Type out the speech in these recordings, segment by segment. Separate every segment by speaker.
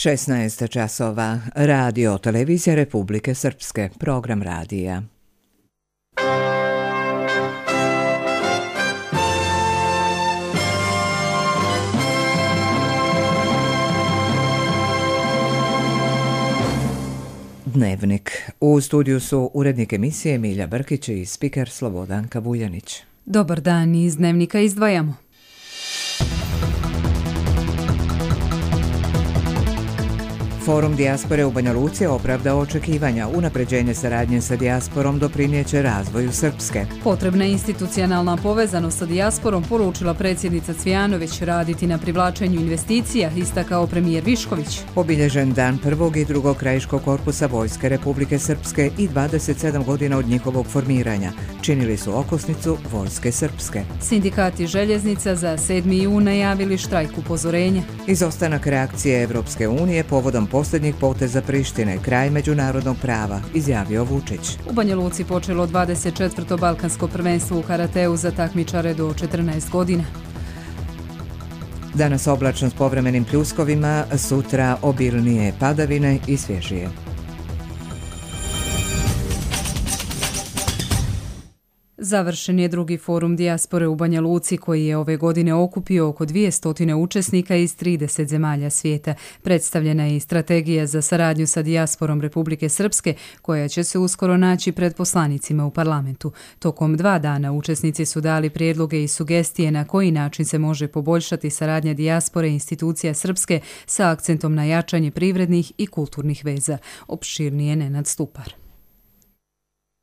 Speaker 1: 16 časova. Radio Televizija Republike Srpske. Program radija. Dnevnik. U studiju su urednik emisije Milja Brkić i spiker Slobodanka Vuljanić.
Speaker 2: Dobar dan, iz Dnevnika izdvajamo.
Speaker 1: Forum dijaspore u Banja Luci opravdao očekivanja. Unapređenje saradnje sa dijasporom doprinijeće razvoju Srpske.
Speaker 2: Potrebna institucionalna povezanost sa dijasporom, poručila predsjednica Cvijanović, raditi na privlačenju investicija, istakao premijer Višković.
Speaker 1: Obilježen dan prvog i drugog krajiškog korpusa Vojske Republike Srpske i 27 godina od njihovog formiranja. Činili su okosnicu Vojske Srpske.
Speaker 2: Sindikati željeznica za 7. jun najavili štrajk upozorenja.
Speaker 1: Izostanak reakcije Evropske unije povodom posljednjih poteza Prištine, kraj međunarodnog prava, izjavio Vučić.
Speaker 2: U Banja Luci počelo 24. balkansko prvenstvo u karateu za takmičare do 14 godina.
Speaker 1: Danas oblačno s povremenim pljuskovima, sutra obilnije padavine i svježije.
Speaker 2: Završen je drugi forum dijaspore u Banja Luci koji je ove godine okupio oko 200 učesnika iz 30 zemalja svijeta. Predstavljena je i strategija za saradnju sa dijasporom Republike Srpske koja će se uskoro naći pred poslanicima u parlamentu. Tokom 2 dana učesnici su dali prijedloge i sugestije na koji način se može poboljšati saradnja dijaspore i institucija Srpske sa akcentom na jačanje privrednih i kulturnih veza. Opširnije Nenad Stupar.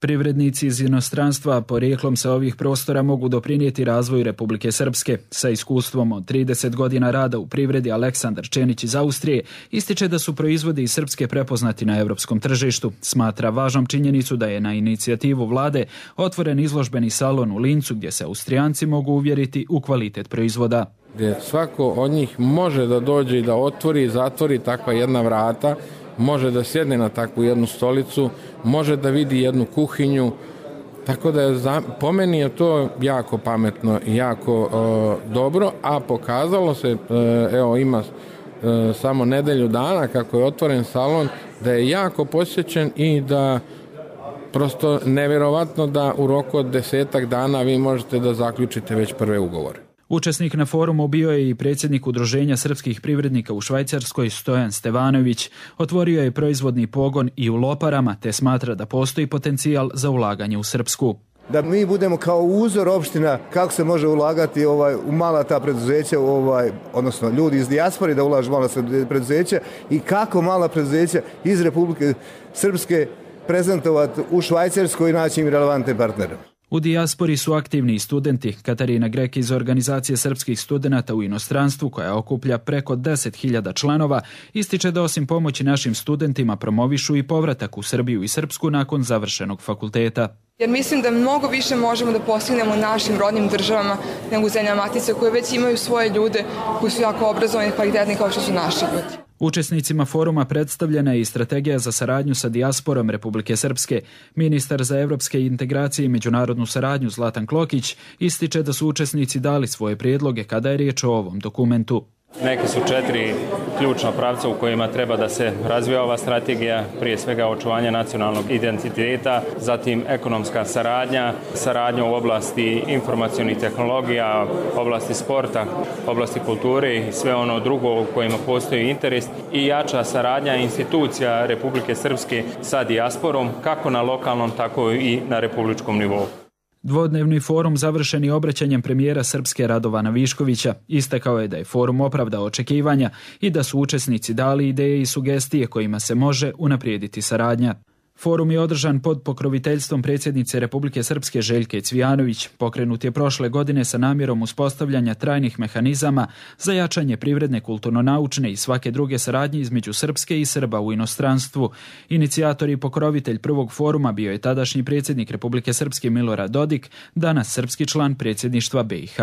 Speaker 3: Privrednici iz inostranstva porijeklom sa ovih prostora mogu doprinijeti razvoju Republike Srpske. Sa iskustvom od 30 godina rada u privredi Aleksandar Čenić iz Austrije ističe da su proizvodi iz Srpske prepoznati na europskom tržištu. Smatra važnom činjenicu da je na inicijativu vlade otvoren izložbeni salon u Lincu gdje se Austrijanci mogu uvjeriti u kvalitet proizvoda.
Speaker 4: Gdje svako od njih može da dođe i da otvori i zatvori takva jedna vrata, može da sjedne na takvu jednu stolicu, može da vidi jednu kuhinju, tako da je po meni je to jako pametno i jako dobro, a pokazalo se, evo ima samo nedelju dana kako je otvoren salon, da je jako posjećen i da prosto nevjerovatno da u roku od 10 dana vi možete da zaključite već prve ugovore.
Speaker 3: Učesnik na forumu bio je i predsjednik Udruženja srpskih privrednika u Švajcarskoj Stojan Stevanović. Otvorio je proizvodni pogon i u Loparama te smatra da postoji potencijal za ulaganje u Srpsku.
Speaker 5: Da mi budemo kao uzor opština kako se može ulagati u mala ta preduzeća, odnosno ljudi iz dijaspore da ulažu mala preduzeća i kako mala preduzeća iz Republike Srpske prezentovati u Švajcarskoj i naći im relevantne partnere.
Speaker 3: U dijaspori su aktivni i studenti. Katarina Grek iz Organizacije srpskih studenata u inostranstvu, koja okuplja preko 10.000 članova, ističe da osim pomoći našim studentima promovišu i povratak u Srbiju i Srpsku nakon završenog fakulteta.
Speaker 6: Jer mislim da mnogo više možemo da postignemo našim rodnim državama nego u zemljama matice koje već imaju svoje ljude koji su jako obrazovani i kvalitetni kao što su naši ljudi.
Speaker 3: Učesnicima foruma predstavljena je i strategija za saradnju sa dijasporom Republike Srpske. Ministar za evropske integracije i međunarodnu saradnju Zlatan Klokić ističe da su učesnici dali svoje prijedloge kada je riječ o ovom dokumentu.
Speaker 7: Neki su 4 ključna pravca u kojima treba da se razvija ova strategija, prije svega očuvanje nacionalnog identiteta, zatim ekonomska saradnja u oblasti informacionih tehnologija, oblasti sporta, oblasti kulture i sve ono drugo u kojima postoji interes i jača saradnja institucija Republike Srpske sa dijasporom, kako na lokalnom, tako i na republičkom nivou.
Speaker 3: Dvodnevni forum završen je obraćanjem premijera Srpske Radovana Viškovića. Istakao je da je forum opravdao očekivanja i da su učesnici dali ideje i sugestije kojima se može unaprijediti saradnja. Forum je održan pod pokroviteljstvom predsjednice Republike Srpske Željke Cvijanović. Pokrenut je prošle godine sa namjerom uspostavljanja trajnih mehanizama za jačanje privredne, kulturno-naučne i svake druge saradnje između Srpske i Srba u inostranstvu. Inicijator i pokrovitelj prvog foruma bio je tadašnji predsjednik Republike Srpske Milorad Dodik, danas srpski član predsjedništva BiH.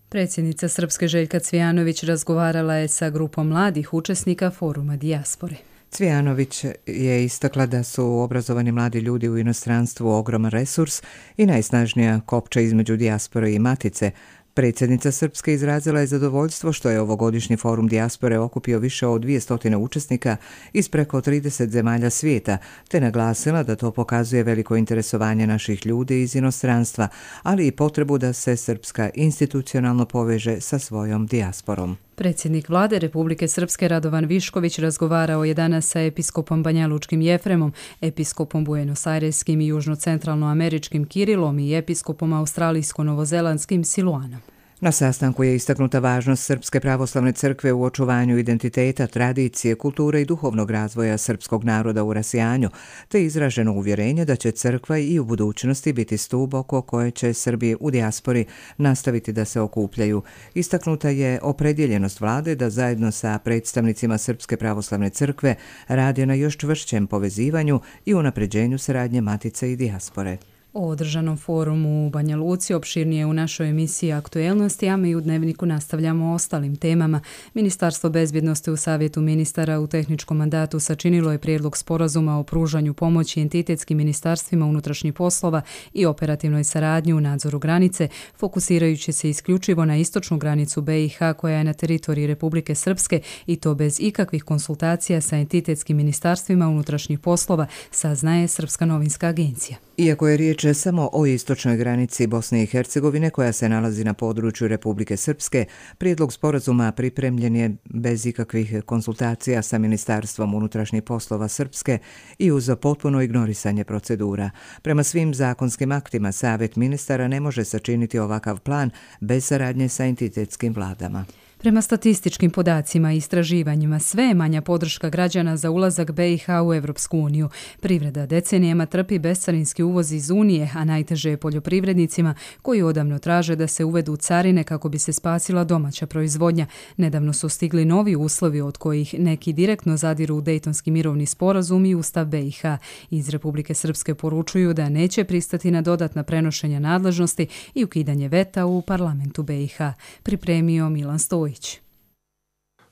Speaker 2: Predsjednica Srpske Željka Cvijanović razgovarala je sa grupom mladih učesnika foruma dijaspore.
Speaker 1: Cvijanović je istakla da su obrazovani mladi ljudi u inostranstvu ogroman resurs i najsnažnija kopča između dijaspore i matice, Predsjednica Srpske izrazila je zadovoljstvo što je ovogodišnji forum dijaspore okupio više od 200 učesnika iz preko 30 zemalja svijeta, te naglasila da to pokazuje veliko interesovanje naših ljudi iz inostranstva, ali i potrebu da se Srpska institucionalno poveže sa svojom dijasporom.
Speaker 2: Predsjednik vlade Republike Srpske Radovan Višković razgovarao je danas sa episkopom Banjalučkim Jefremom, episkopom Buenos-Aireskim i južnocentralnoameričkim Kirilom i episkopom australijsko-novozelandskim Siluanom.
Speaker 1: Na sastanku je istaknuta važnost Srpske pravoslavne crkve u očuvanju identiteta, tradicije, kulture i duhovnog razvoja srpskog naroda u rasijanju, te izraženo uvjerenje da će crkva i u budućnosti biti stup oko koje će Srbi u dijaspori nastaviti da se okupljaju. Istaknuta je opredjeljenost vlade da zajedno sa predstavnicima Srpske pravoslavne crkve radi na još čvršćem povezivanju i unapređenju saradnje matice i dijaspore.
Speaker 2: O održanom forumu u Banja Luci opširnije u našoj emisiji Aktuelnosti, a mi u Dnevniku nastavljamo o ostalim temama. Ministarstvo bezbjednosti u Savjetu ministara u tehničkom mandatu sačinilo je prijedlog sporazuma o pružanju pomoći entitetskim ministarstvima unutrašnjih poslova i operativnoj saradnji u nadzoru granice, fokusirajući se isključivo na istočnu granicu BiH koja je na teritoriji Republike Srpske i to bez ikakvih konsultacija sa entitetskim ministarstvima unutrašnjih poslova, saznaje Srpska novinska agencija.
Speaker 1: Iako je riječ samo o istočnoj granici Bosne i Hercegovine koja se nalazi na području Republike Srpske, prijedlog sporazuma pripremljen je bez ikakvih konsultacija sa Ministarstvom unutrašnjih poslova Srpske i uz potpuno ignorisanje procedura. Prema svim zakonskim aktima, Savjet ministara ne može sačiniti ovakav plan bez saradnje sa entitetskim vladama.
Speaker 2: Prema statističkim podacima i istraživanjima, sve je manja podrška građana za ulazak BiH u Evropsku uniju. Privreda decenijama trpi bescarinski uvoz iz Unije, a najteže je poljoprivrednicima koji odavno traže da se uvedu carine kako bi se spasila domaća proizvodnja. Nedavno su stigli novi uslovi od kojih neki direktno zadiru u Dejtonski mirovni sporazum i Ustav BiH. Iz Republike Srpske poručuju da neće pristati na dodatna prenošenja nadležnosti i ukidanje veta u parlamentu BiH. Pripremio Milan Stojić.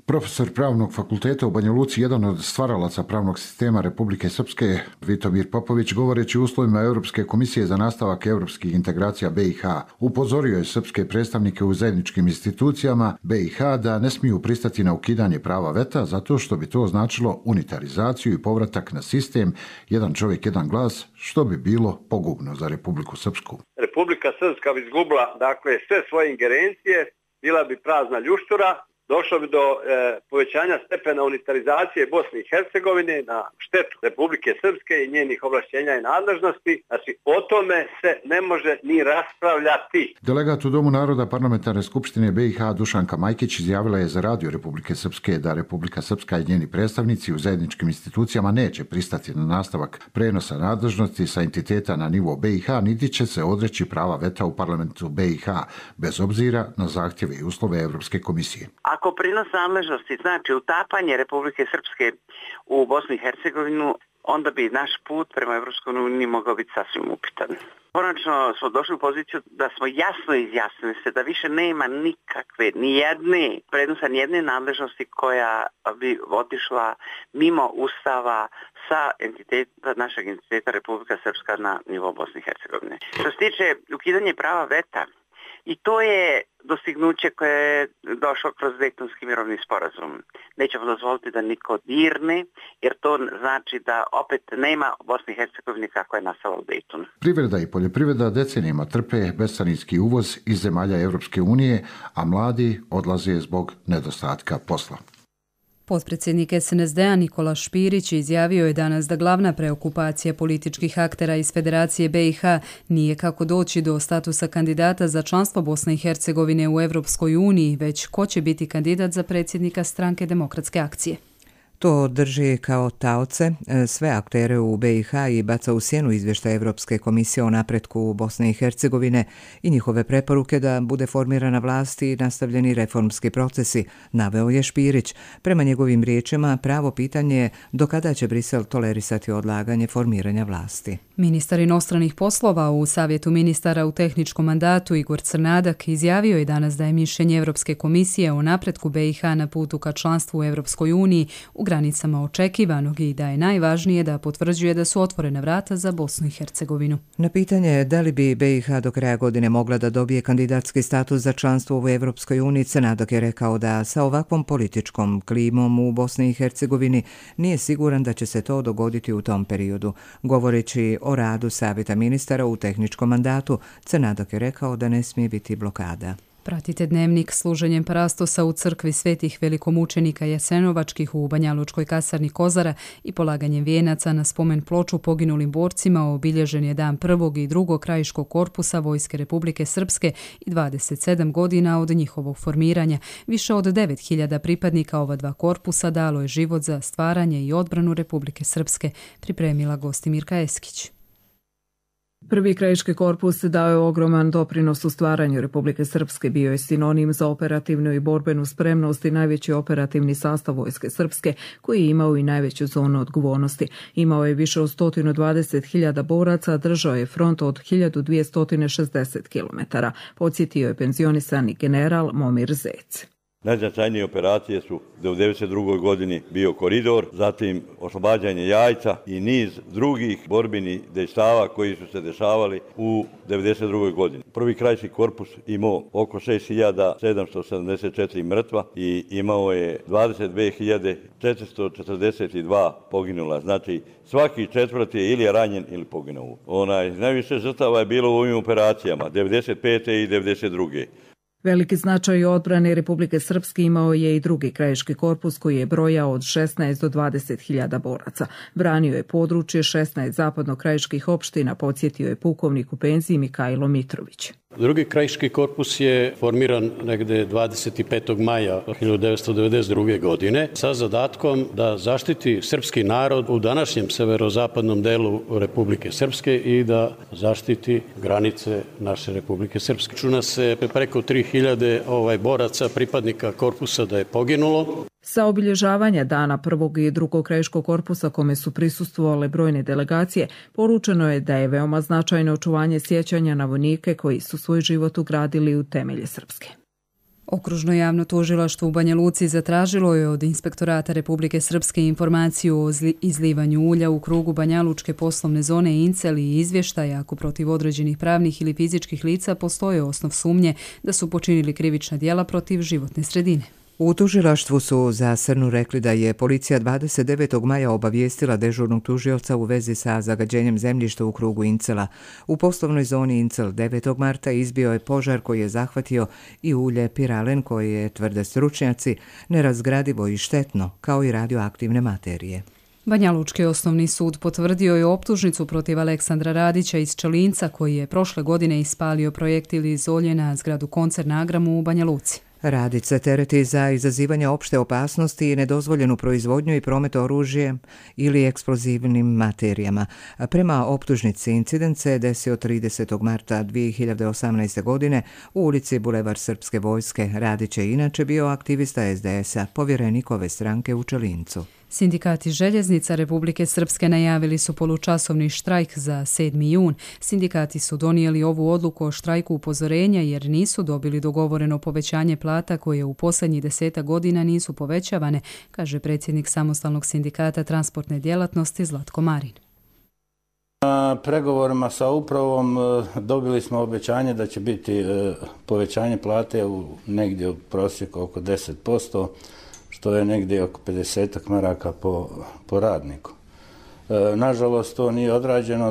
Speaker 8: Profesor Pravnog fakulteta u Banja Luci, jedan od stvaralaca pravnog sistema Republike Srpske, Vitomir Popović, govoreći o uslovima Europske komisije za nastavak europskih integracija BiH, upozorio je srpske predstavnike u zajedničkim institucijama BiH da ne smiju pristati na ukidanje prava veta zato što bi to značilo unitarizaciju i povratak na sistem jedan čovjek, jedan glas, što bi bilo pogubno za Republiku Srpsku.
Speaker 9: Republika Srpska bi izgubila sve svoje ingerencije, bila bi prazna ljuštura, došlo bi do povećanja stepena unitarizacije Bosne i Hercegovine na štetu Republike Srpske i njenih ovlašćenja i nadležnosti. Znači, o tome se ne može ni raspravljati.
Speaker 8: Delegat u Domu naroda Parlamentarne skupštine BiH Dušanka Majkić izjavila je za Radio Republike Srpske da Republika Srpska i njeni predstavnici u zajedničkim institucijama neće pristati na nastavak prenosa nadležnosti sa entiteta na nivo BiH, niti će se odreći prava veta u parlamentu BiH, bez obzira na zahtjeve i uslove Europske komisije.
Speaker 10: Ako prinos nadležnosti znači utapanje Republike Srpske u Bosnu i Hercegovinu, onda bi naš put prema Evropskoj uniji mogao biti sasvim upitan. Konačno smo došli u poziciju da smo jasno izjasnili se da više nema nikakve, nijedne nadležnosti koja bi otišla mimo Ustava sa našeg entiteta Republika Srpska na nivo Bosne i Hercegovine. Što se tiče ukidanja prava veta, i to je dostignuće koje je došlo kroz Dejtonski mirovni sporazum. Nećemo dozvoliti da niko dirne, jer to znači da opet nema Bosne i Hercegovine kako je nastala u Dejtonu.
Speaker 8: Privreda i poljoprivreda decenijama trpe bescarinski uvoz iz zemalja Europske unije, a mladi odlaze zbog nedostatka posla.
Speaker 2: Potpredsjednik SNSD-a Nikola Špirić izjavio je danas da glavna preokupacija političkih aktera iz Federacije BiH nije kako doći do statusa kandidata za članstvo Bosne i Hercegovine u Evropskoj uniji, već ko će biti kandidat za predsjednika Stranke demokratske akcije.
Speaker 1: To drži kao taoce sve aktere u BiH i baca u sjenu izvještaj Evropske komisije o napretku Bosne i Hercegovine i njihove preporuke da bude formirana vlast i nastavljeni reformski procesi, naveo je Špirić. Prema njegovim riječima, pravo pitanje je do kada će Brisel tolerisati odlaganje formiranja vlasti.
Speaker 2: Ministar inostranih poslova u Savjetu ministara u tehničkom mandatu Igor Crnadak izjavio je danas da je mišljenje Evropske komisije o napretku BiH na putu ka članstvu u Evropskoj uniji u granicama očekivanog i da je najvažnije da potvrđuje da su otvorena vrata za Bosnu i Hercegovinu.
Speaker 1: Na pitanje da li bi BiH do kraja godine mogla da dobije kandidatski status za članstvo u Evropskoj uniji, Crnadak je rekao da sa ovakvom političkom klimom u Bosni i Hercegovini nije siguran da će se to dogoditi u tom periodu. Govoreći o radu Savjeta ministara u tehničkom mandatu, Crnadak je rekao da ne smije biti blokada.
Speaker 2: Pratite Dnevnik služenjem parastosa u crkvi svetih velikomučenika Jasenovačkih u Banjalučkoj kasarni Kozara i polaganjem vijenaca na spomen ploču poginulim borcima obilježen je dan 1. i 2. krajiškog korpusa Vojske Republike Srpske i 27 godina od njihovog formiranja. Više od 9.000 pripadnika ova dva korpusa dalo je život za stvaranje i odbranu Republike Srpske, pripremila Gostimirka Eskić.
Speaker 11: Prvi krajiški korpus dao je ogroman doprinos u stvaranju Republike Srpske, bio je sinonim za operativnu i borbenu spremnost i najveći operativni sastav Vojske Srpske, koji je imao i najveću zonu odgovornosti. Imao je više od 120.000 boraca, držao je front od 1260 km. Podsjetio je penzionisani general Momir Zec.
Speaker 12: Najznačajnije operacije su u 1992. godini bio koridor, zatim oslobađanje Jajca i niz drugih borbenih dejstava koji su se dešavali u 1992. godini. Prvi krajiški korpus imao oko 6.774 mrtva i imao je 22.442 poginula. Znači svaki četvrti je ili ranjen ili poginuo. Najviše žrtava je bilo u ovim operacijama 1995. i 1992.
Speaker 11: Veliki značaj odbrane Republike Srpske imao je i drugi krajiški korpus koji je brojao od 16 do 20.000 boraca. Branio je područje 16 zapadno-krajiških opština, podsjetio je pukovnik u penziji Mikajlo Mitrović.
Speaker 13: Drugi krajiški korpus je formiran negde 25. maja 1992. godine sa zadatkom da zaštiti srpski narod u današnjem severozapadnom delu Republike Srpske i da zaštiti granice naše Republike Srpske. Računa se preko 3.000 boraca, pripadnika korpusa da je poginulo.
Speaker 11: Sa obilježavanja dana prvog i drugog krajiškog korpusa kome su prisustvovale brojne delegacije, poručeno je da je veoma značajno očuvanje sjećanja na vojnike koji su svoj život ugradili u temelje Srpske.
Speaker 2: Okružno javno tužilaštvo u Banja Luci zatražilo je od Inspektorata Republike Srpske informaciju o izlivanju ulja u krugu Banjalučke poslovne zone Incel i izvještaja ako protiv određenih pravnih ili fizičkih lica postoje osnov sumnje da su počinili krivična djela protiv životne sredine.
Speaker 1: U tužilaštvu su za Srnu rekli da je policija 29. maja obavijestila dežurnog tužioca u vezi sa zagađenjem zemljišta u krugu Incela. U poslovnoj zoni Incel 9. marta izbio je požar koji je zahvatio i ulje piralen koje, tvrde stručnjaci, nerazgradivo i štetno, kao i radioaktivne materije.
Speaker 2: Banjalučki osnovni sud potvrdio je optužnicu protiv Aleksandra Radića iz Čelinca koji je prošle godine ispalio projektil iz olje na zgradu Koncerna Agramu u Banja Luci.
Speaker 1: Radić se tereti za izazivanje opšte opasnosti i nedozvoljenu proizvodnju i promet oružjem ili eksplozivnim materijama. Prema optužnici incident se desio 30. marta 2018. godine u ulici Bulevar Srpske vojske. Radić je inače bio aktivista SDS-a, povjerenik ove stranke u Čelincu.
Speaker 2: Sindikati željeznica Republike Srpske najavili su polučasovni štrajk za 7. jun. Sindikati su donijeli ovu odluku o štrajku upozorenja jer nisu dobili dogovoreno povećanje plata koje u posljednjih 10 godina nisu povećavane, kaže predsjednik samostalnog sindikata transportne djelatnosti Zlatko Marin.
Speaker 14: Na pregovorima sa upravom dobili smo obećanje da će biti povećanje plate u negdje u prosjeku oko 10%, što je negdje oko 50 maraka po radniku. Nažalost, to nije odrađeno,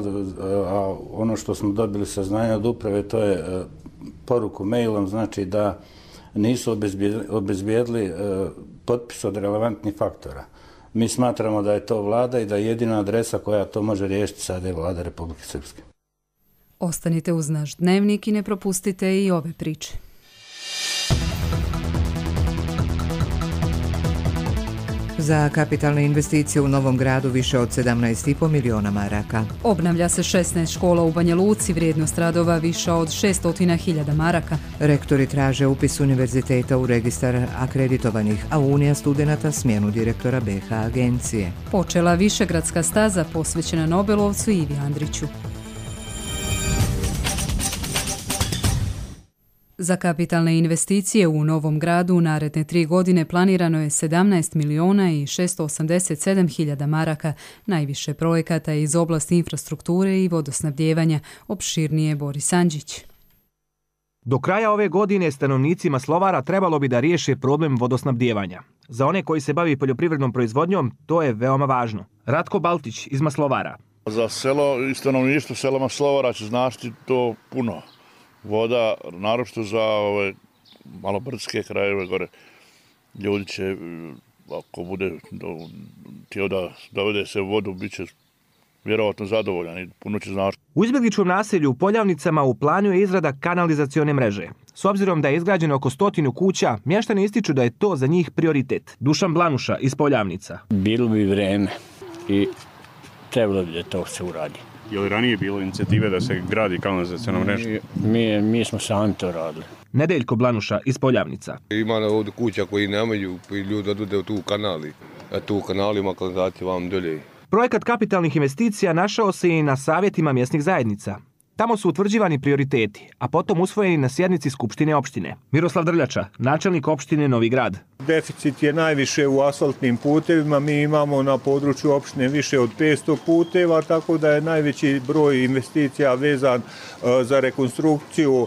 Speaker 14: a ono što smo dobili saznanje od uprave, to je poruku mailom, znači da nisu obezbijedili potpis od relevantnih faktora. Mi smatramo da je to vlada i da je jedina adresa koja to može riješiti sada je vlada Republike Srpske.
Speaker 2: Ostanite uz naš dnevnik i ne propustite i ove priče.
Speaker 1: Za kapitalne investicije u Novom Gradu više od 17,5 miliona maraka.
Speaker 2: Obnavlja se 16 škola u Banja Luci, vrijednost radova viša od 600.000 maraka.
Speaker 1: Rektori traže upis univerziteta u registar akreditovanih, a Unija studenata smjenu direktora BiH agencije.
Speaker 2: Počela višegradska staza posvećena Nobelovcu Ivi Andriću. Za kapitalne investicije u Novom Gradu u naredne 3 godine planirano je 17 milijuna i 687 hiljada maraka, najviše projekata iz oblasti infrastrukture i vodosnabdijevanja, opširnije Boris Andžić.
Speaker 15: Do kraja ove godine stanovnicima Slovara trebalo bi da riješe problem vodosnabdijevanja. Za one koji se bavi poljoprivrednom proizvodnjom, to je veoma važno. Ratko Baltić iz Maslovara.
Speaker 16: Za selo i stanovništvo sela Maslovara će značiti to puno. Voda, naročito za ove malo brdske krajeve gore. Ljudi će, ako bude htio da dovede se vodu, bit će vjerovatno zadovoljan i puno će značiti.
Speaker 15: U izbjegličkom naselju u Poljavnicama u planu je izrada kanalizacione mreže. S obzirom da je izgrađeno oko 100 kuća, mještani ističu da je to za njih prioritet. Dušan Blanuša iz Poljavnica.
Speaker 17: Bilo bi vreme i trebalo bi da to se uradi.
Speaker 18: Je li ranije bilo inicijative da se gradi kanalizaciona mreža?
Speaker 17: Mi smo sami to radili.
Speaker 15: Nedeljko Blanuša iz Poljavnica.
Speaker 19: Ima ovdje kuća koji nemaju, pa ljudi odvode u tu kanali. A tu kanalima kanalizacija vam dolje.
Speaker 15: Projekat kapitalnih investicija našao se i na savjetima mjesnih zajednica. Tamo su utvrđivani prioriteti, a potom usvojeni na sjednici Skupštine opštine. Miroslav Drljača, načelnik opštine Novi Grad.
Speaker 20: Deficit je najviše u asfaltnim putevima. Mi imamo na području opštine više od 500 puteva, tako da je najveći broj investicija vezan za rekonstrukciju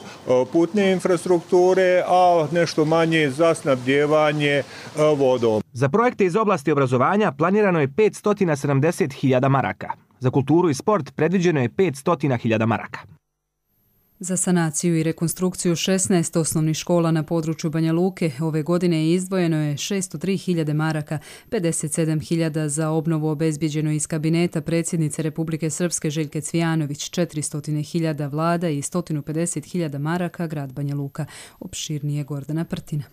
Speaker 20: putne infrastrukture, a nešto manje za snabdijevanje vodom.
Speaker 15: Za projekte iz oblasti obrazovanja planirano je 570.000 maraka. Za kulturu i sport predviđeno je 500.000 maraka.
Speaker 2: Za sanaciju i rekonstrukciju 16 osnovnih škola na području Banja Luke ove godine izdvojeno je 603.000 maraka, 57.000 za obnovu obezbijeđeno iz kabineta predsjednice Republike Srpske Željke Cvijanović, 400.000 vlada i 150.000 maraka grad Banja Luka. Opširnije Gordana Prtina.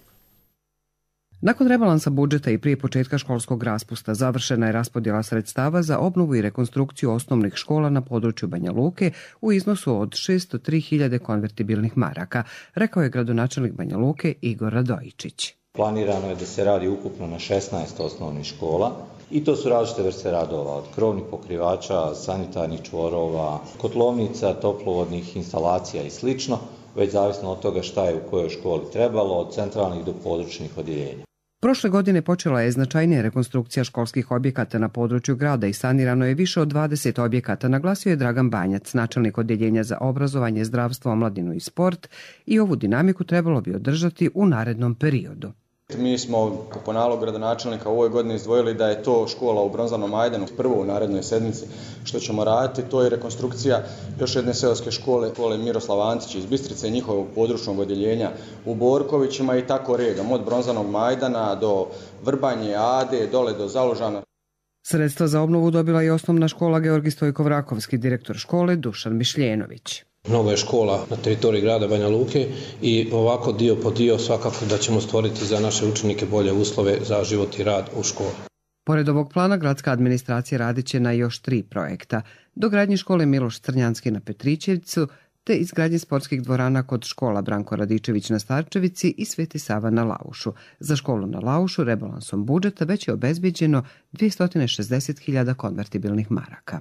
Speaker 1: Nakon rebalansa budžeta i prije početka školskog raspusta završena je raspodjela sredstava za obnovu i rekonstrukciju osnovnih škola na području Banja Luke u iznosu od 603.000 konvertibilnih maraka, rekao je gradonačelnik Banja Luke Igor Radojičić.
Speaker 21: Planirano je da se radi ukupno na 16 osnovnih škola i to su različite vrste radova, od krovnih pokrivača, sanitarnih čvorova, kotlovnica, toplovodnih instalacija i sl., već zavisno od toga šta je u kojoj školi trebalo, od centralnih do područnih odjeljenja.
Speaker 1: Prošle godine počela je značajnija rekonstrukcija školskih objekata na području grada i sanirano je više od 20 objekata, naglasio je Dragan Banjac, načelnik odjeljenja za obrazovanje, zdravstvo, omladinu i sport, i ovu dinamiku trebalo bi održati u narednom periodu.
Speaker 22: Mi smo po nalogu gradonačelnika u ovoj godini izdvojili da je to škola u Bronzanom Majdanu prvo u narednoj sedmici što ćemo raditi. To je rekonstrukcija još jedne seoske škole Miroslav Antić iz Bistrice i njihovog područnog odjeljenja u Borkovićima i tako redom, od Bronzanog Majdana do Vrbanje, Ade, dole do Zalužana.
Speaker 1: Sredstva za obnovu dobila je osnovna škola Georgij Stojko-Vrakovski, direktor škole Dušan Mišljenović.
Speaker 23: Nova je škola na teritoriji grada Banja Luke i ovako dio po dio svakako da ćemo stvoriti za naše učenike bolje uslove za život i rad u školi.
Speaker 1: Pored ovog plana, gradska administracija radit će na još 3 projekta. Dogradnji škole Miloš Crnjanski na Petrićevcu, te izgradnje sportskih dvorana kod škola Branko Radičević na Starčevici i Sveti Sava na Laušu. Za školu na Laušu rebalansom budžeta već je obezbijeđeno 260.000 konvertibilnih maraka.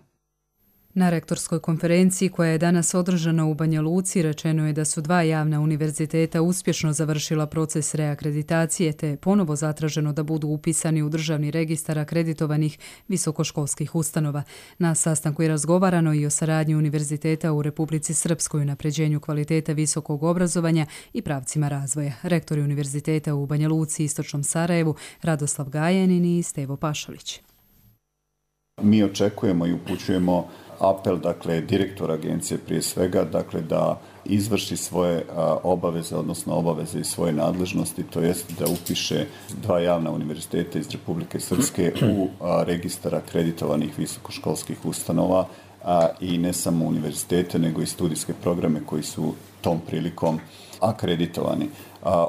Speaker 2: Na rektorskoj konferenciji koja je danas održana u Banja Luci rečeno je da su 2 javna univerziteta uspješno završila proces reakreditacije te je ponovo zatraženo da budu upisani u državni registar akreditovanih visokoškolskih ustanova. Na sastanku je razgovarano i o saradnji univerziteta u Republici Srpskoj, unapređenju kvaliteta visokog obrazovanja i pravcima razvoja. Rektori univerziteta u Banja Luci i Istočnom Sarajevu Radoslav Gajanin i Stevo Pašalić.
Speaker 24: Mi očekujemo i upućujemo apel, dakle, direktora agencije prije svega, dakle, da izvrši svoje obaveze, odnosno obaveze i svoje nadležnosti, to jest da upiše 2 javna univerziteta iz Republike Srpske u registar akreditovanih visokoškolskih ustanova i ne samo univerzitete, nego i studijske programe koji su tom prilikom akreditovani.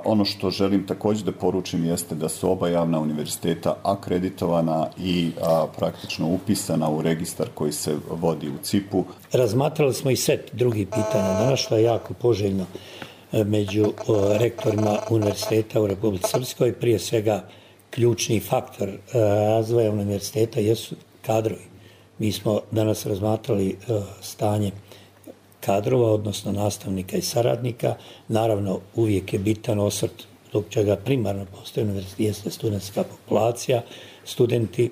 Speaker 24: Ono što želim također da poručim jeste da su oba javna univerziteta akreditovana i praktično upisana u registar koji se vodi u CIP-u.
Speaker 25: Razmatrali smo i set drugih pitanja danas, što je jako poželjno među rektorima univerziteta u Republici Srpskoj. Prije svega ključni faktor razvoja univerziteta jesu kadrovi. Mi smo danas razmatrali stanje kadrova, odnosno nastavnika i saradnika. Naravno, uvijek je bitan osvrt zbog čega primarno postoji univerzitet, jeste studentska populacija, studenti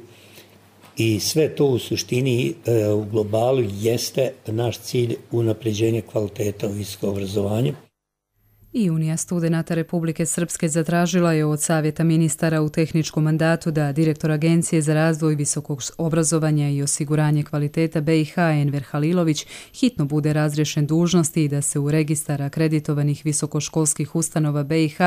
Speaker 25: i sve to u suštini u globalu jeste naš cilj unapređenje kvaliteta u visokom obrazovanju.
Speaker 2: I Unija studenata Republike Srpske zatražila je od Savjeta ministara u tehničkom mandatu da direktor Agencije za razvoj visokog obrazovanja i osiguranje kvaliteta BiH Enver Halilović hitno bude razriješen dužnosti i da se u registar akreditovanih visokoškolskih ustanova BiH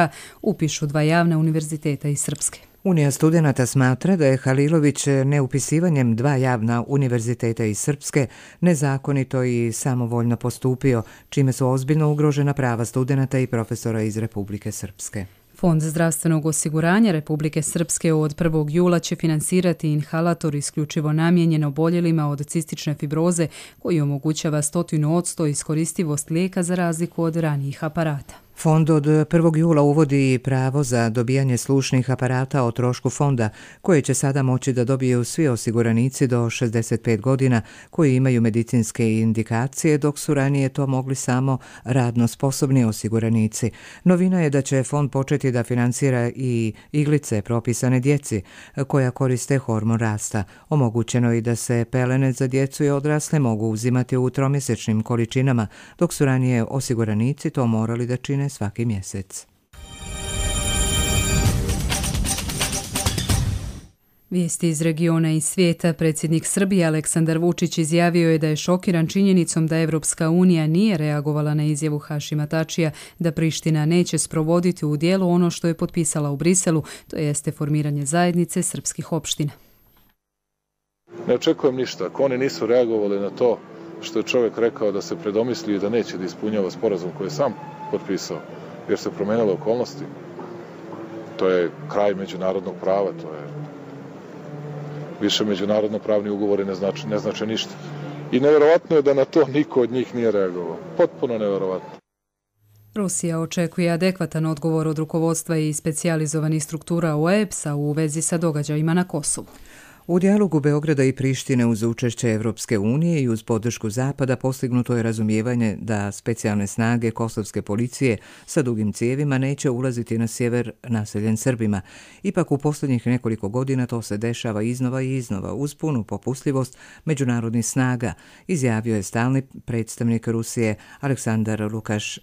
Speaker 2: upišu 2 javna univerziteta iz Srpske.
Speaker 1: Unija studenata smatra da je Halilović neupisivanjem 2 javna univerziteta iz Srpske nezakonito i samovoljno postupio, čime su ozbiljno ugrožena prava studenata i profesora iz Republike Srpske.
Speaker 2: Fond zdravstvenog osiguranja Republike Srpske od 1. jula će finansirati inhalator isključivo namijenjen oboljelima od cistične fibroze koji omogućava 100% iskoristivost lijeka za razliku od ranijih aparata.
Speaker 1: Fond od 1. jula uvodi pravo za dobijanje slušnih aparata o trošku fonda, koje će sada moći da dobiju svi osiguranici do 65 godina koji imaju medicinske indikacije, dok su ranije to mogli samo radno sposobni osiguranici. Novina je da će fond početi da finansira i iglice propisane djeci koja koriste hormon rasta. Omogućeno je i da se pelene za djecu i odrasle mogu uzimati u 3-mjesečnim količinama, dok su ranije osiguranici to morali da čine svaki mjesec.
Speaker 2: Vijesti iz regiona i svijeta. Predsjednik Srbije Aleksandar Vučić izjavio je da je šokiran činjenicom da Evropska unija nije reagovala na izjavu Hašima Tačija da Priština neće sprovoditi u djelo ono što je potpisala u Briselu, to jeste formiranje zajednice srpskih opština.
Speaker 3: Ne očekujem ništa. Ako oni nisu reagovali na to što je čovjek rekao da se predomislio i da neće da ispunjava sporazum koji je sam potpisao, jer se promenile okolnosti. To je kraj međunarodnog prava, to je više međunarodno pravni ugovori ne znače ništa. I nevjerovatno je da na to niko od njih nije reagovao. Potpuno nevjerovatno.
Speaker 2: Rusija očekuje adekvatan odgovor od rukovodstva i specijalizovanih struktura OEBS-a u vezi sa događajima na Kosovu.
Speaker 1: U dijalogu Beograda i Prištine uz učešće Evropske unije i uz podršku Zapada postignuto je razumijevanje da specijalne snage kosovske policije sa dugim cijevima neće ulaziti na sjever naseljen Srbima. Ipak u posljednjih nekoliko godina to se dešava iznova i iznova uz punu popustljivost međunarodnih snaga, izjavio je stalni predstavnik Rusije Aleksandar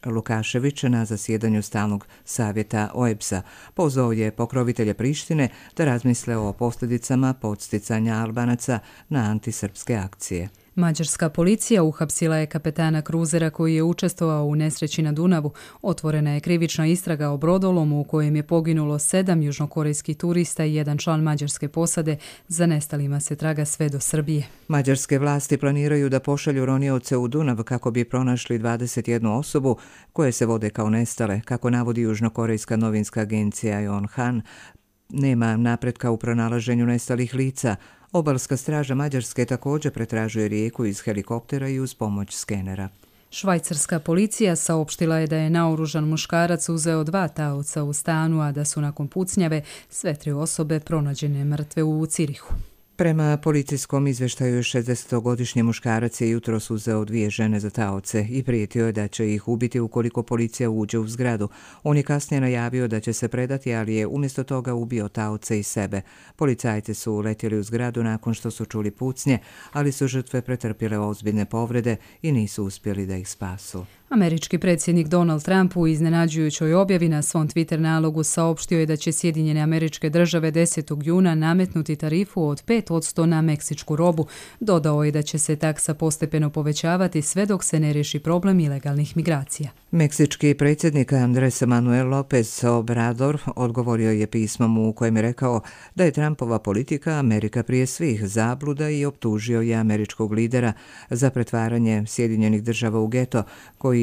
Speaker 1: Lukašević na zasjedanju stalnog savjeta OEBS-a. Pozvao je pokrovitelje Prištine da razmisle o posljedicama podsticanja Albanaca na antisrpske akcije.
Speaker 2: Mađarska policija uhapsila je kapetana kruzera koji je učestvovao u nesreći na Dunavu. Otvorena je krivična istraga o brodolomu u kojem je poginulo 7 južnokorejskih turista i 1 član mađarske posade. Za nestalima se traga sve do Srbije.
Speaker 1: Mađarske vlasti planiraju da pošalju ronioce u Dunav kako bi pronašli 21 osobu koje se vode kao nestale, kako navodi južnokorejska novinska agencija Yonhap. Nema napretka u pronalaženju nestalih lica. Obalska straža Mađarske također pretražuje rijeku iz helikoptera i uz pomoć skenera.
Speaker 2: Švajcarska policija saopštila je da je naoružan muškarac uzeo 2 taoca u stanu, a da su nakon pucnjave sve 3 osobe pronađene mrtve u Cirihu.
Speaker 1: Prema policijskom izvještaju 60-godišnji muškarac je jutros uzeo 2 žene za taoce i prijetio je da će ih ubiti ukoliko policija uđe u zgradu. On je kasnije najavio da će se predati, ali je umjesto toga ubio taoce i sebe. Policajci su letjeli u zgradu nakon što su čuli pucnje, ali su žrtve pretrpjele ozbiljne povrede i nisu uspjeli da ih spasu.
Speaker 2: Američki predsjednik Donald Trump u iznenađujućoj objavi na svom Twitter nalogu saopštio je da će Sjedinjene Američke Države 10. juna nametnuti tarifu od 5% na meksičku robu. Dodao je da će se taksa postepeno povećavati sve dok se ne riješi problem ilegalnih migracija.
Speaker 1: Meksički predsjednik Andrés Manuel López Obrador odgovorio je pismom u kojem je rekao da je Trumpova politika Amerika prije svih zabluda i optužio je američkog lidera za pretvaranje Sjedinjenih Država u geto koji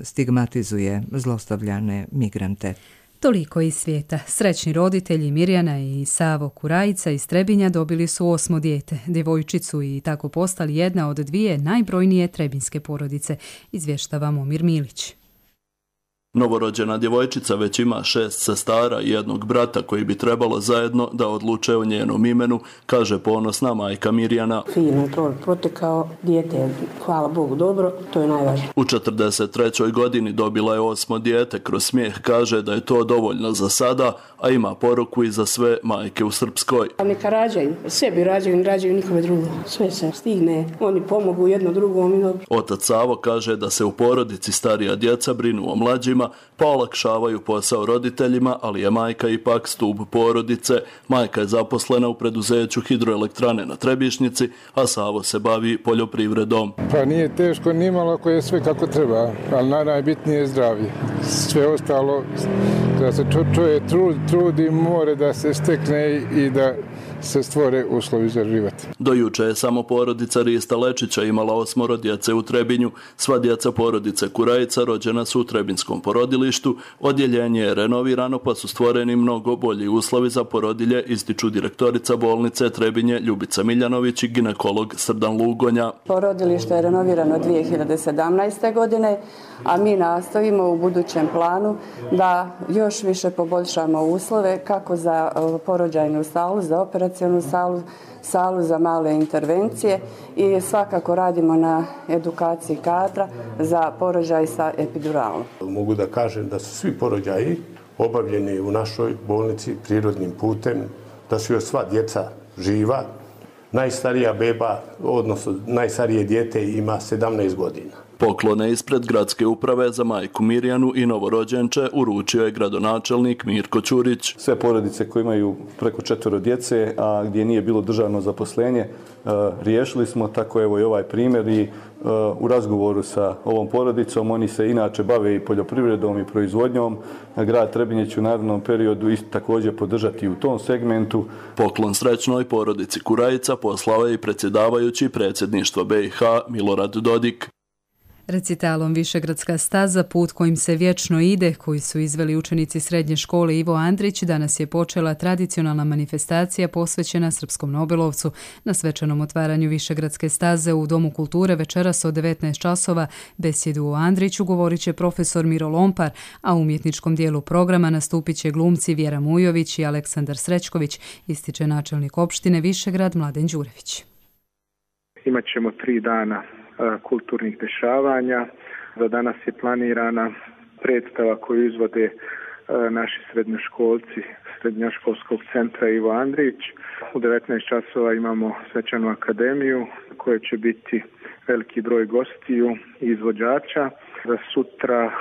Speaker 1: stigmatizuje zlostavljane migrante.
Speaker 2: Toliko iz svijeta. Srećni roditelji Mirjana i Savo Kurajica iz Trebinja dobili su 8. dijete, djevojčicu, i tako postali jedna od 2 najbrojnije trebinjske porodice, izvještava Momir Milić.
Speaker 4: Novorođena djevojčica već ima 6 sestara i jednog brata koji bi trebalo zajedno da odluče o njenom imenu, kaže ponosna majka Mirjana.
Speaker 5: Fino to protekao, dijete, hvala Bogu, dobro, to je najvažnije.
Speaker 4: U 43. godini dobila je 8. dijete, kroz smijeh kaže da je to dovoljno za sada, a ima poruku i za sve majke u Srpskoj.
Speaker 5: A neka rađaju, sebi rađaju nikome drugo, sve se stigne, oni pomogu jedno drugom.
Speaker 4: Otac Savo kaže da se u porodici starija djeca brinu o mlađima, pa olakšavaju posao roditeljima, ali je majka ipak stup porodice. Majka je zaposlena u preduzeću hidroelektrane na Trebišnjici, a Savo se bavi poljoprivredom.
Speaker 6: Pa nije teško ni malo ako je sve kako treba, ali najbitnije je zdravlje. Sve ostalo da se čovjek trudi, more da se stekne i da se stvore uslovi za život.
Speaker 4: Do juče je samo porodica Rista Lečića imala 8 djece u Trebinju. Sva djeca porodice Kurajica rođena su u Trebinskom porodilištu. Odjeljenje je renovirano, pa su stvoreni mnogo bolji uslovi za porodilje, ističu direktorica bolnice Trebinje Ljubica Miljanović i ginekolog Srdan Lugonja.
Speaker 5: Porodilište je renovirano 2017. godine, a mi nastavimo u budućem planu da još više poboljšamo uslove kako za porođajnu salu, za operacionu salu za male intervencije i svakako radimo na edukaciji kadra za porođaj sa epiduralom.
Speaker 7: Mogu da kažem da su svi porođaji obavljeni u našoj bolnici prirodnim putem, da su još sva djeca živa. Najstarija beba, odnosno najstarije dijete ima 17 godina.
Speaker 4: Poklone ispred gradske uprave za majku Mirjanu i novorođenče uručio je gradonačelnik Mirko Ćurić.
Speaker 9: Sve porodice koje imaju preko 4 djece, a gdje nije bilo državno zaposlenje, riješili smo, tako evo i ovaj primjer i u razgovoru sa ovom porodicom. Oni se inače bave i poljoprivredom i proizvodnjom. Grad Trebinje će u narednom periodu isto također podržati u tom segmentu.
Speaker 4: Poklon srećnoj porodici Kurajica poslao je i predsjedavajući predsjedništva BiH Milorad Dodik.
Speaker 2: Recitalom Višegradska staza, put kojim se vječno ide, koji su izveli učenici srednje škole Ivo Andrić, danas je počela tradicionalna manifestacija posvećena srpskom nobelovcu. Na svečanom otvaranju Višegradske staze u Domu kulture večeras od 19 časova besjedu o Andriću govorit će profesor Miro Lompar, a u umjetničkom dijelu programa nastupit će glumci Vjera Mujović i Aleksandar Srećković, ističe načelnik opštine Višegrad Mladen Đurević.
Speaker 26: Imaćemo 3 dana kulturnih dešavanja. Za danas je planirana predstava koju izvode naši srednjoškolci Srednjoškolskog centra Ivo Andrić. U 19 časova imamo svečanu akademiju koja će biti veliki broj gostiju i izvođača. Za sutra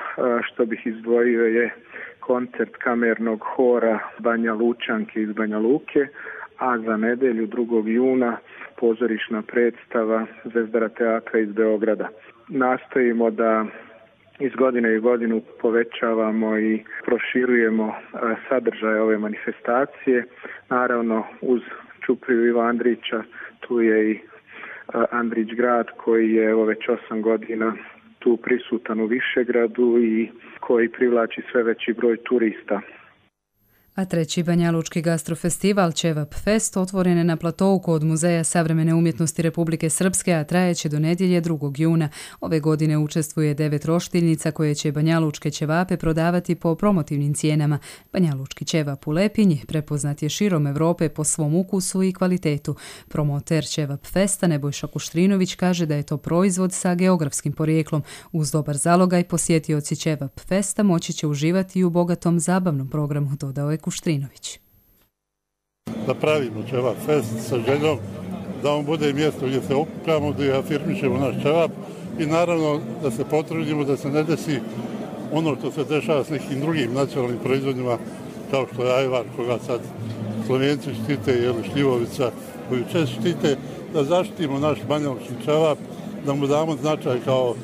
Speaker 26: što bih izdvojio je koncert kamernog hora Banja Lučanke iz Banja Luke, a za nedelju 2. juna pozorišna predstava Zvezdara teatra iz Beograda. Nastojimo da iz godine u godinu povećavamo i proširujemo sadržaj ove manifestacije. Naravno, uz čupriju Iva Andrića, tu je i Andrić grad koji je već 8 godina tu prisutan u Višegradu i koji privlači sve veći broj turista.
Speaker 2: A 3. Banjalučki gastrofestival Ćevap Fest otvoren je na platovu kod Muzeja savremene umjetnosti Republike Srpske, a trajeće do nedjelje 2. juna. Ove godine učestvuje 9 roštiljnica koje će banjalučke ćevape prodavati po promotivnim cijenama. Banjalučki ćevap u Lepinji prepoznat je širom Evrope po svom ukusu i kvalitetu. Promoter Ćevap Festa Nebojša Kuštrinović kaže da je to proizvod sa geografskim porijeklom. Uz dobar zalogaj posjetioci Ćevap Festa moći će uživati i u bogatom zabavnom programu, dodao je Kuštrinović.
Speaker 27: Da pravimo Ćevap Fest sa željom da on bude mjesto gdje se okupljamo, gdje afirmišemo naš ćevap i naravno da se potrudimo da se ne desi ono što se dešava s nekim drugim nacionalnim proizvodima kao što je ajvar koga sad Slovenci štite ili šljivovica koju često štite, da zaštitimo naš banjalučki ćevap, da mu damo značaj kao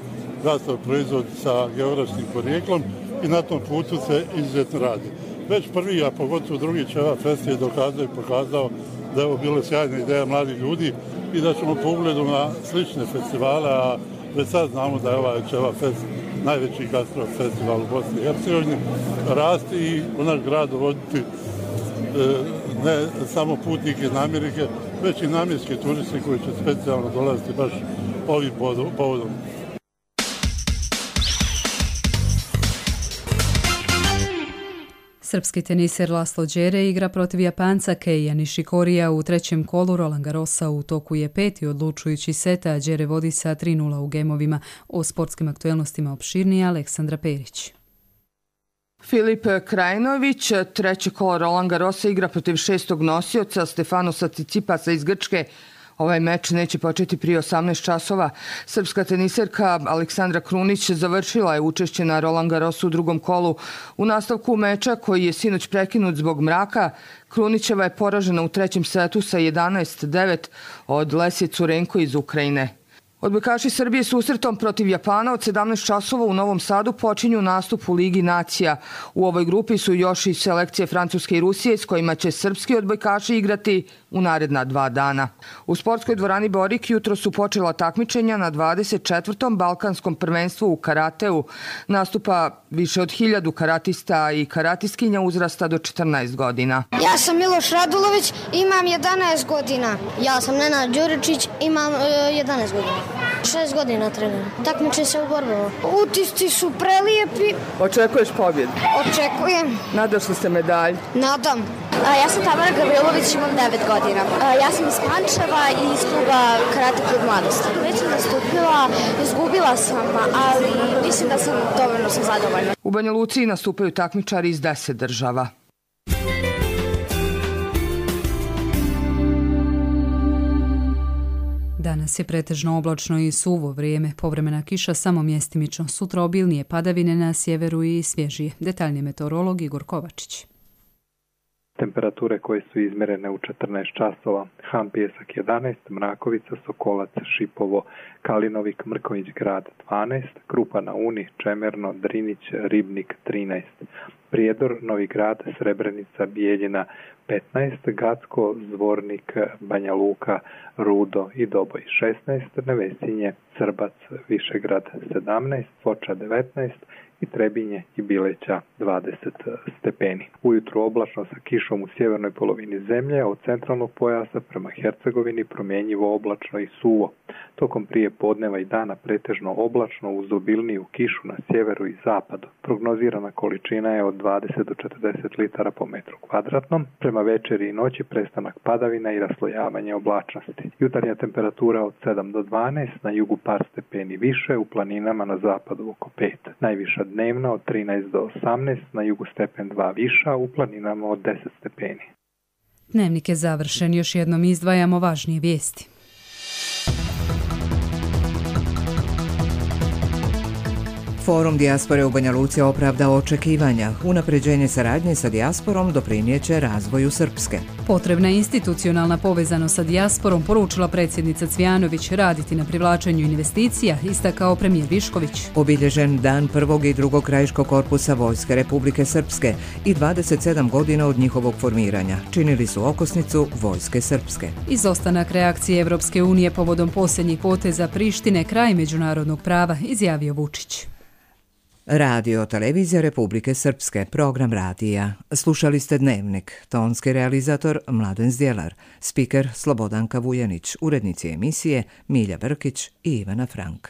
Speaker 27: gastro proizvod sa geografskim porijeklom i na tom putu se izuzetno radi. Već prvi, a pogotovo drugi Ćevap Fest je dokazao i pokazao da je ovo bila sjajna ideja mladih ljudi i da ćemo po ugledu na slične festivale, a već sad znamo da je ovaj Ćevap Fest najveći gastro festival u Bosni i Hercegovini, rasti i u naš grad dovoditi ne samo putnike iz Amerike, već i namjenske turiste koji će specijalno dolaziti baš ovim povodom.
Speaker 2: Srpski teniser Laslo Đere igra protiv Japanca Keija Nishikorija u trećem kolu Roland Garrosa. U toku je peti odlučujući set, a Đere vodi sa 3:0 u gemovima. O sportskim aktuelnostima opširnije Aleksandra Perić.
Speaker 8: Filip Krajinović, treće kolo Roland Garrosa, igra protiv šestog nosioca Stefanosa Cicipasa iz Grčke. Ovaj meč neće početi prije 18 časova. Srpska teniserka Aleksandra Krunić završila je učešće na Roland Garrosu u drugom kolu. U nastavku meča, koji je sinoć prekinut zbog mraka, Krunićeva je poražena u trećem setu sa 11-9 od Lesje Curenko iz Ukrajine. Odbojkaši Srbije susretom protiv Japana od 17 časova u Novom Sadu počinju nastup u Ligi nacija. U ovoj grupi su još i selekcije Francuske i Rusije s kojima će srpski odbojkaši igrati u naredna 2 dana. U sportskoj dvorani Borik jutro su počela takmičenja na 24. Balkanskom prvenstvu u karateu. Nastupa više od 1000 karatista i karatistkinja uzrasta do 14 godina.
Speaker 10: Ja sam Miloš Radulović, imam 11 godina. Ja sam Nenad Đuričić, imam 11 godina. 6 godina treniram. Takmičim se u borbama. Utisci su prelijepi.
Speaker 8: Očekuješ pobjedu?
Speaker 10: Očekujem.
Speaker 8: Nadaš li se medalj?
Speaker 10: Nadam. Ja sam Tamara Gavrilović, imam 9 godina. Ja sam iz Pančeva i iz kluba Karate klub mladosti. Već sam nastupila, izgubila sam, ali mislim da sam dovoljno zadovoljna.
Speaker 8: U Banja Luci nastupaju takmičari iz 10 država.
Speaker 2: Danas je pretežno oblačno i suvo vrijeme, povremena kiša samo mjestimično, sutra obilnije padavine na sjeveru i svježije. Detaljnije meteorolog Igor Kovačić.
Speaker 11: Temperature koje su izmjerene u 14 časova: Han Pjesak 11, Mrakovica, Sokolac, Šipovo, Kalinovik, Mrković Grad 12, Krupa na Uni, Čemerno, Drinić, Ribnik 13, Prijedor, Novi Grad, Srebrenica, Bijeljina 15, Gacko, Zvornik, Banja Luka, Rudo i Doboj 16, Nevesinje, Srbac, Višegrad 17, Foča 19 i Trebinje i Bileća 20 stepeni. Ujutru oblačno sa kišom u sjevernoj polovini zemlje, od centralnog pojasa prema Hercegovini promjenjivo oblačno i suvo. Tokom prije podneva i dana pretežno oblačno uz obilniju kišu na sjeveru i zapadu. Prognozirana količina je od 20 do 40 litara po metru kvadratnom. Prema večeri i noći prestanak padavina i raslojavanje oblačnosti. Jutarnja temperatura od 7 do 12, na jugu par stepeni više, u planinama na zapadu oko 5. Najviša dnevna od 13 do 18, na jugu stepen 2 viša, u planinama od 10 stepeni.
Speaker 2: Dnevnik je završen, još jednom izdvajamo važnije vijesti.
Speaker 1: Forum dijaspore u Banja Luci opravdao očekivanja. Unapređenje saradnje sa dijasporom doprinijeće razvoju Srpske.
Speaker 2: Potrebna je institucionalna povezanost sa dijasporom, poručila predsjednica Cvijanović, raditi na privlačenju investicija, istakao premijer Višković.
Speaker 1: Obilježen dan prvog i drugog krajiškog korpusa Vojske Republike Srpske i 27 godina od njihovog formiranja. Činili su okosnicu Vojske Srpske.
Speaker 2: Izostanak reakcije Evropske unije povodom posljednjih poteza Prištine kraj međunarodnog prava, izjavio Vučić.
Speaker 1: Radio Televizija Republike Srpske, program radija. Slušali ste Dnevnik, tonski realizator Mladen Zdjelar, spiker Slobodanka Vujanić, urednici emisije Milja Brkić i Ivana Frank.